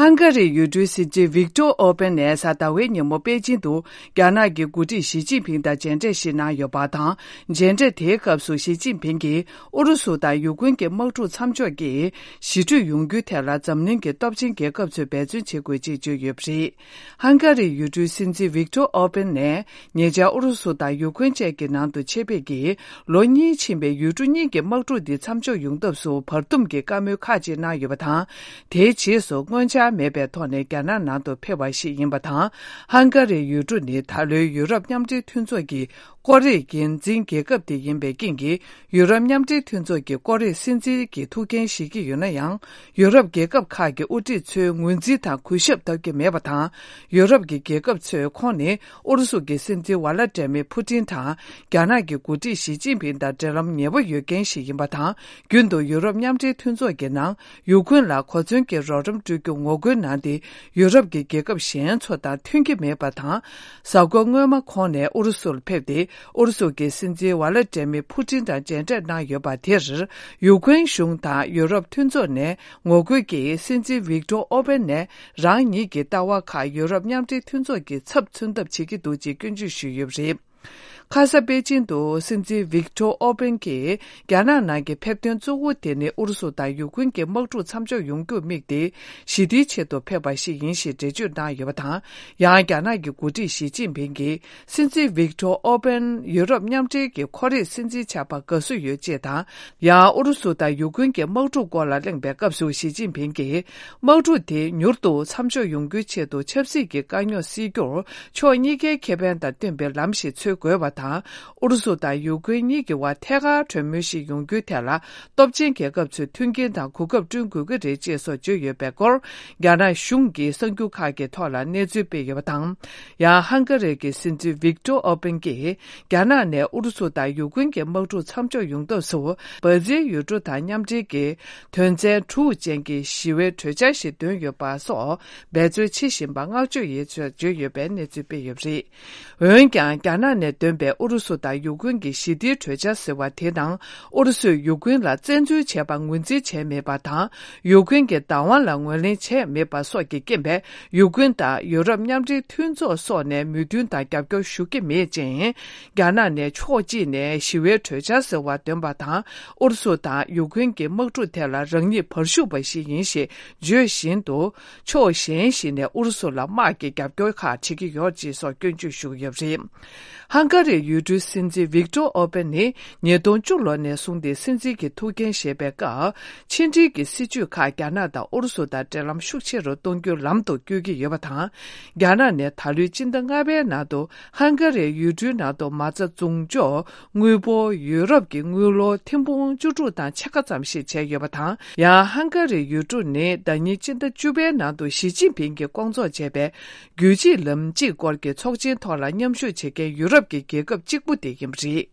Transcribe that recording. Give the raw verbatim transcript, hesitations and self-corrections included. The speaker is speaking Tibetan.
ཧང་ག་རིའི་ཡུལ་གྲུའི་སྲིད་འཛིན་ཝིག་ཏོར་ཨོར་པན་ནས་གཟའ་ཟླ་བའི་ཉིན་མོ་པེ་ཅིང་དུ་རྒྱ་ནག་གི་འགོ་ཁྲིད་ཞི་ཅིན་ཕིང་དང་མཇལ་འཕྲད་ཞིག་གནང་ཡོད་པ་དང་། མཇལ་འཕྲད་དེའི་སྐབས་སུ་ཞི་ཅིན་ཕིང་གིས་ཨུ་རུ་སུ་དང་ཡུ་ཀེན་གྱི་དམག་འཁྲུག་མཚམས་འཇོག་གིས་ཞི་གྲོས་ཡོང་རྒྱུའི་ཐད་ལ་འཛམ་གླིང་གི་སྟོབས་ཆེན་རྒྱལ་ཁབ་ཚོས་འབད་བརྩོན་བྱེད་དགོས་ཅེས་བརྗོད་ཡོད་པ་རེད། ཧང་ག་རིའི་ཡུལ་གྲུའི་སྲིད་འཛིན་ཝིག་ཏོར་ཨོར་པན་ནས། ཉེ་ཆར་ཨུ་རུ་སུ་དང་ཡུ་ཀེན་བཅས་ཀྱི་ནང་དུ་ཆེད་ཕེབས་ཀྱིས། ལོ་གཉིས་ཕྱིན་པའི་ཡུལ་གྲུ་གཉིས་ཀྱི་དམག་འཁྲུག་འདི་མཚམས་འཇོག་ཡོང་ཐབས་སུ་བར་འདུམ་གྱི་བཀའ་མོལ་ཁག་ཅིག་གནང་ཡོད་པ་དང་། དེའི་རྗེས་སུ་སྔོན་ཆད་མེད་པའི་ཐོག་ནས་རྒྱ་ནག་ནང་དུ་ཕེབས་པ་ཞིག་ཡིན་པ་དང་། ཧང་ག་རིའི་ཡུལ་གྲུ་ནི་ད་ལོའི་ཡུ་རོབ་མཉམ་འབྲེལ་མཐུན་ཚོགས་ཀྱི་སྐོར་རའི་འགན་འཛིན་རྒྱལ་ཁབ་དེ་ཡིན་པའི་རྐྱེན་གྱིས། ཡུ་རོབ་མཉམ་འབྲེལ་མཐུན་ཚོགས་ཀྱི་སྐོར་རའི་སྲིད་འཛིན་གྱི་ཐུགས་འགན་བཞེས་ཀྱི་ཡོད་ན་ཡང་། ཡུ་རོབ་རྒྱལ་ཁབ་ཁག་གི་དབུ་ཁྲིད་ཚོའི་ངོས་འཛིན་དང་གུས་ཞབས་ཐོབ་ཀྱི་མེད་པ་དང་། ཡུ་རོབ་ཀྱི་རྒྱལ་ཁབ་ཚོས་ཁོང་ནི་ཨུ་རུ་སུ་གྱི་སྲིད་འཛིན་ཝ་ལ་ཏྲེ་མི་ཕུ་ཏིན་དང་། རྒྱ་ནག་གི་འགོ་ཁྲིད་ཞི་ཅིན་ཕིང་དང་འབྲེལ་ལམ་ཉེ་བོ་ཡོད་མཁན་ཞིག་ཡིན་པ་དང་། རྒྱུན་དུ་ཡུ་རོབ་མཉམ་འབྲེལ་མཐུན་ཚོགས་ཀྱི་ནང་ཡུ་ཀེན་ལ་གོ་མཚོན་གྱི་རོགས་རམ་སྤྲོད་རྒྱུ་ངོ་རྒོལ་གནང་སྟེ། ཡུ་རོབ་ཀྱི་རྒྱལ་ཁབ་གཞན་ཚོ་དང་མཐུན་གྱི་མེད་པ་དང་། གཟའ་འཁོར་སྔོན་མ་ཁོང་ནས་ཨུ་རུ་སུར་ཕེབས་ཏེ། ཨུ་རུ་སུ་གྱི་སྲིད་འཛིན་ཝ་ལ་ཏྲེ་མི་ཕུ་ཏིན་དང་མཇལ་འཕྲད་གནང་ཡོད་པ་དེར། ཡུ་ཀེན་གཞུང་དང་ཡུ་རོབ་མཐུན་ཚོགས་ནས་ངོ་རྒོལ་གྱིས། སྲིད་འཛིན་ཝིག་ཏོར་ཨོར་པན་ནས་རང་ཉིད་ཀྱི་ལྟ་བ་ཁག་ཡུ་རོབ་མཉམ་འབྲེལ་མཐུན་ཚོགས་ཀྱི་ཚབ་མཚོན་ཐབས་བྱེད་ཀྱི་འདུག་ཅེས་སྐྱོན་བརྗོད་ཞུས་ཡོད་པ་རེད། ཁ་ས་པེ་ཅིན་དུ་སྲིད་འཛིན་ཝིག་ཏོར་ཨོར་པན་གྱིས། རྒྱ་ནག་ནང་གི་ཕེབས་ཐོན་གཙོ་བོ་དེ་ནི་ཨུ་རུ་སུ་དང་ཡུ་ཀེན་གྱི་དམག་འཁྲུག་མཚམས་འཇོག་ཡོང་རྒྱུར་དམིགས་ཏེ། ཞི་བདེའི་ཆེད་དུ་ཕེབས་པ་ཞིག་ཡིན་ཞེས་འགྲེལ་བརྗོད་གནང་ཡོད་པ་དང་། ཡང་རྒྱ་ནག་གི་འགོ་ཁྲིད་ཞི་ཅིན་ཕིང་གིས། སྲིད་འཛིན་ཝིག་ཏོར་ཨོར་པན་ཡུ་རོབ་མཉམ་འབྲེལ་གྱི་ཁོར་ཡུག་སྲིད་འཛིན་ཆགས་པར་དགའ་བསུ་ཡོད་ཅེས་དང་། ཡང་ཨུ་རུ་སུ་དང་ཡུ་ཀེན་གྱི་དམག་འཁྲུག་སྐོར་ལ་གླེང་བའི་སྐབས་སུ་ཞི་ཅིན་ཕིང་གིས། དམག་འཁྲུག་དེ་མྱུར་དུ་མཚམས་འཇོག་ཡོང་རྒྱུའི་ཆེད་དུ་ཆབ་སྲིད་ཀྱི་དཀའ་རྙོག་སེལ་རྒྱུར། ཕྱོགས་གཉིས་ཀའི་ཁེ་ཕན་དང་བསྟུན་པའི་ལམ་ཞིག་འཚོལ་དགོས་པ་དང་། ཨུ་རུ་སུ་དང་ཡུ་ཀེན་གཉིས་ཀྱི་བར་ཐད་ཀར་གྲོས་མོལ་ཞིག་ཡོང་རྒྱུའི་ཐད་ལ། སྟོབས་ཆེན་རྒྱལ་ཁབ་ཚོས་མཐུན་རྐྱེན་དང་གོ་སྐབས་བསྐྲུན་དགོས་ཀྱི་རེད་ཅེས་སོགས་བརྗོད་ཡོད་པའི་སྐོར། རྒྱ་ནག་གཞུང་གིས་གསར་འགྱུར་ཁག་གི་ཐོག་ལ་གནས་ཚུལ་སྤེལ་ཡོད་པ་དང་། ཡང་ཧང་ག་རི་གི་སྲིད་འཛིན་ཝིག་ཏོར་ཨོར་པན་གྱིས། རྒྱ་ནག་ནས་ཨུ་རུ་སུ་དང་ཡུ་ཀེན་གྱི་དམག་འཁྲུག་མཚམས་འཇོག་ཡོང་ཐབས་སུ། འབར་ཛིལ་ཡུལ་གྲུ་དང་མཉམ་འབྲེལ་གྱི་དོན་ཚན་དྲུག་ཅན་གྱི་ཞི་བའི་གྲོས་འཆར་ཞིག་འདོན་ཡོད་པ་སོགས་འབད་རྩོལ་བྱེད་བཞིན་པ་བསྔགས་བརྗོད་ཡིན་ཞེས་བརྗོད་ཡོད་པའི་གནས་ཚུལ་སྤེལ་ཡོད་པ་རེད། འོན་ཀྱང་། རྒྱ་ནག་ནས་འདོན་པའི་ཨུ་རུ་སུ་དང་ཡུ་ཀེན་གྱི་ཞི་བདེའི་གྲོས་འཆར་ཟེར་བ་དེ་ནང་། ཨུ་རུ་སུས་ཡུ་ཀེན་ལ་བཙན་འཛུལ་བྱས་པར་ངོས་འཛིན་བྱས་མེད་པ་དང་། ཡུ་ཀེན་གྱི་བདག་དབང་ལ་ངོས་ལེན་བྱས་མེད་པ་སོགས་ཀྱི་རྐྱེན་པས། ཡུ་ཀེན་དང་ཡུ་རོབ་མཉམ་འབྲེལ་མཐུན་ཚོགས་སོགས་ནས་མོས་མཐུན་དང་རྒྱབ་སྐྱོར་ཞུ་གི་མེད་ཅིང་། རྒྱ་ནག་ནས་ཕྱོགས་གཅིག་ནས་ཞི་བའི་གྲོས་འཆར་ཟེར་བ་འདོན་པ་དང་། ཨུ་རུ་སུ་དང་ཡུ་ཀེན་གྱི་དམག་འཁྲུག་ཐད་ལ་རང་ཉིད་བར་ཞུགས་པ་ཞིག་ཡིན་ཞེས་བརྗོད་བཞིན་དུ། ཕྱོགས་གཞན་ཞིག་ནས་ཨུ་རུ་སུ་ལ་དམག་གི་རྒྱབ་སྐྱོར་ཁག་བྱེད་ཀྱི་ཡོད་ཅེས་སོགས་སྐྱོན་བརྗོད་ཞུ་གི་ཡོད་པ་རེད། ཧང་ག་རིའི་ཡུལ་གྲུའི་སྲིད་འཛིན་ཝིག་ཏོར་ཨོར་པན་ནི་ཉིས་སྟོང་བཅུ་ལོ་ནས་བཟུང་སྟེ་སྲིད་འཛིན་གྱི་ཐུགས་འགན་བཞེས་པའི་སྐབས། ཕྱི་འབྲེལ་གྱི་སྲིད་ཇུས་ཁག་རྒྱ་ནག་དང་ཨུ་རུ་སུ་དང་འབྲེལ་ལམ་ཤུགས་ཆེ་རུ་གཏོང་རྒྱུའི་ལམ་དུ་བསྐྱོད་ཀྱི་ཡོད་པ་དང་། རྒྱ་ནག་ནས་ད་ལོའི་སྤྱི་ཟླ་ལྔ་པའི་ནང་དུ་ཧང་ག་རིའི་ཡུལ་གྲུའི་ནང་དུ་མ་རྩ་བཙོང་འཇོག་དངུལ་འབོར་ཡུ་རོབ་ཀྱི་དངུལ་ལོར་ཐེར་འབུམ་བཅུ་དྲུག་དང་ཕྱེད་ཀ་ཙམ་ཞིག་བྱས་ཡོད་པ་དང་། ཡང་ཧང་ག་རིའི་ཡུལ་གྲུ་ནི་ཟླ་ཉིན་སྤྱི་ཟླ་བཅུ་པའི་ནང་དུ་ཞི་ཅིན་ཕིང་གིས་སྐོང་ཚོགས་བྱས་པའི་རྒྱུད་གཅིག་ལམ་གཅིག་སྐོར་གྱི་ཚོགས་ཆེན་ཐོག་ལ་མཉམ་ཞུགས་བྱེད་མཁན་ཡུ་རོབ་ཀྱི་རྒྱལ་ཁབ་གཅིག་པུ་དེ་ཡིན་པ་རེད།